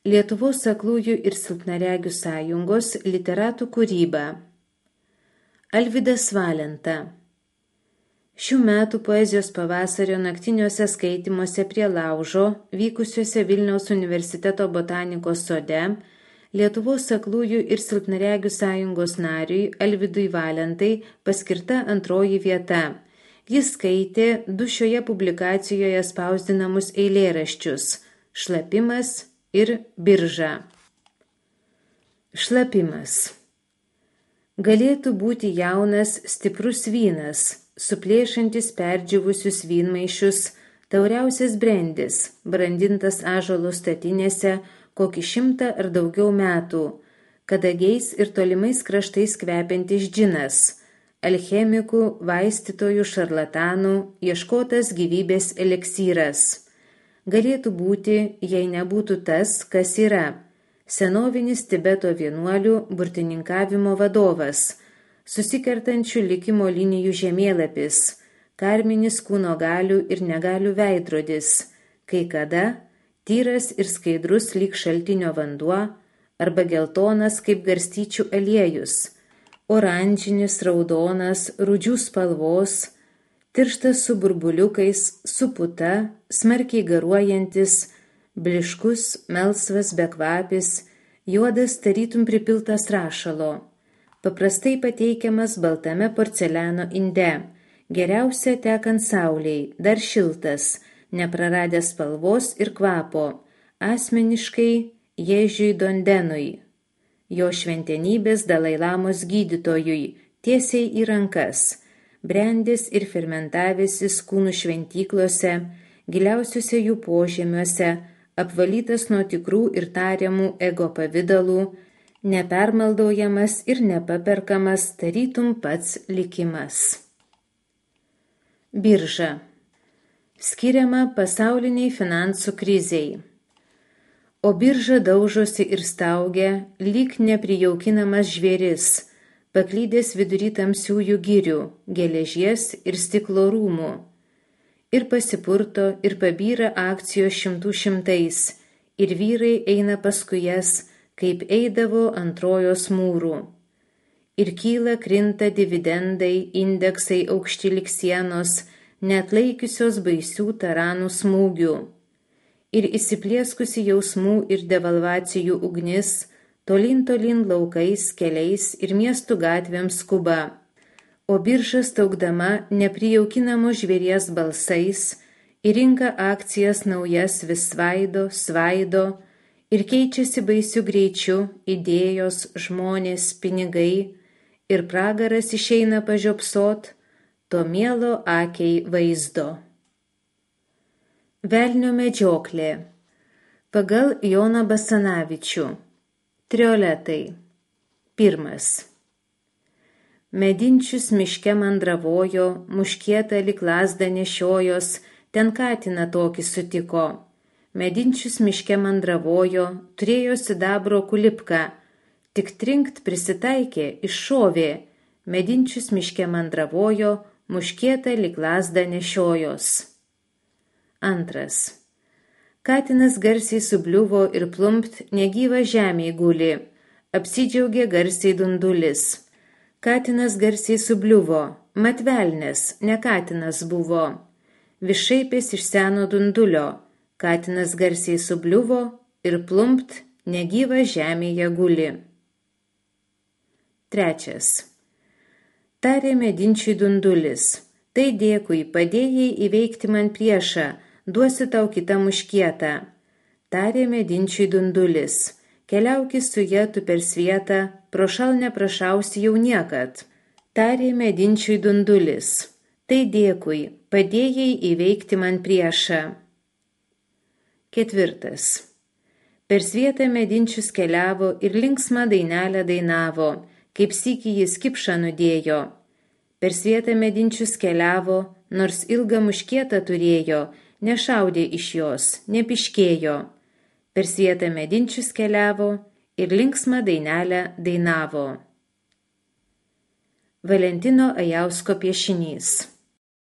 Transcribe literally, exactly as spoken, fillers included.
Lietuvos aklųjų ir silpnaregių sąjungos literatų kūryba. Alvydas Valenta. Šių metų poezijos pavasario naktiniuose skaitymuose prie laužo, vykusiuose Vilniaus universiteto botanikos sode, Lietuvos aklųjų ir silpnaregių sąjungos nariui Alvydui Valentai paskirta antroji vieta. Jis skaitė du šioje publikacijoje spausdinamus eilėraščius – Šlapimas ir Birža. Šlapimas. Galėtų būti jaunas, stiprus vynas, suplėšantis perdžiūvusius vynmaišius, tauriausias brendis, brandintas ąžuolo statinėse kokį šimtą ar daugiau metų, kadagiais ir tolimais kraštais kvepiantis džinas, alchemikų, vaistytojų, šarlatanų, ieškotas gyvybės eleksyras. Galėtų būti, jei nebūtų tas, kas yra, senovinis Tibeto vienuolių burtininkavimo vadovas, susikertančių likimo linijų žemėlapis, karminis kūno galių ir negalių veidrodis, kai kada tyras ir skaidrus lyg šaltinio vanduo arba geltonas kaip garstyčių aliejus, oranžinis, raudonas, rudžių spalvos, tirštas su burbuliukais, su puta, smarkiai garuojantis, bliškus, melsvas, bekvapis, juodas tarytum pripiltas rašalo, paprastai pateikiamas baltame porceliano inde, geriausia tekant saulei, dar šiltas, nepraradęs spalvos ir kvapo, asmeniškai Ježiui Dondenui, jo šventenybės Dalailamos gydytojui, tiesiai į rankas, brendęs ir fermentavęsis kūnų šventyklose, giliausiuose jų požemiuose, apvalytas nuo tikrų ir tariamų ego pavidalų, nepermaldaujamas ir nepaperkamas tarytum pats likimas. Birža. Skiriama pasauliniai finansų krizei. O birža daužosi ir staugia, lyg neprijaukinamas žvėris, paklydęs vidury tamsiųjų girių, geležies ir stiklo rūmų. Ir pasipurto, ir pabyra akcijos šimtų šimtais, ir vyrai eina paskui jas, kaip eidavo ant Trojos mūrų. Ir kyla krinta dividendai, indeksai aukšti lik sienos, neatlaikiusios baisių taranų smūgių. Ir įsiplieskusi jausmų ir devalvacijų ugnis, tolin tolin laukais, keliais ir miestų gatvėms skuba. O birža staugdama neprijaukinamo žvėries balsais, į rinką akcijas naujas vis svaido, svaido ir keičiasi baisiu greičiu idėjos, žmonės, pinigai, ir pragaras išeina pažiopsot, to mielo akiai vaizdo. Velnio medžioklė. Pagal Joną Basanavičių. Trioletai. Pirmas. Medinčius miške mandravojo, muškietą lyg lazdą nešiojos, ten katiną tokį sutiko. Medinčius miške mandravojo, turėjo sidabro kulipką, tik trinkt prisitaikė, iššovė, medinčius miške mandravojo, muškietą lyg lazdą nešiojos. Antras. Katinas garsiai subliuvo ir plumpt negyva žemėj guli, apsidžiaugė garsiai dundulis. Katinas garsiai subliuvo, mat velnias, ne katinas buvo. Višaipės iš seno dundulio, katinas garsiai subliuvo ir plumpt negyva žemėje guli. Trečias. Tarė medinčiui dundulis, tai dėkui, padėjai įveikti man priešą, duosiu tau kitą muškietą. Tarė medinčiui dundulis, keliaukis su ja tu per svietą, prošal neprašausi jau niekad. Tarė medinčiui dundulis, tai dėkui, padėjai įveikti man priešą. Ketvirtas. Per svietą medinčius keliavo ir linksmą dainelę dainavo, kaip sykį jis kipšą nudėjo. Per svietą medinčius keliavo, nors ilgą muškietą turėjo, nešaudė iš jos, nepiškėjo. Per svietą medinčius keliavo ir linksmą dainelę dainavo. Valentino Ajausko piešinys.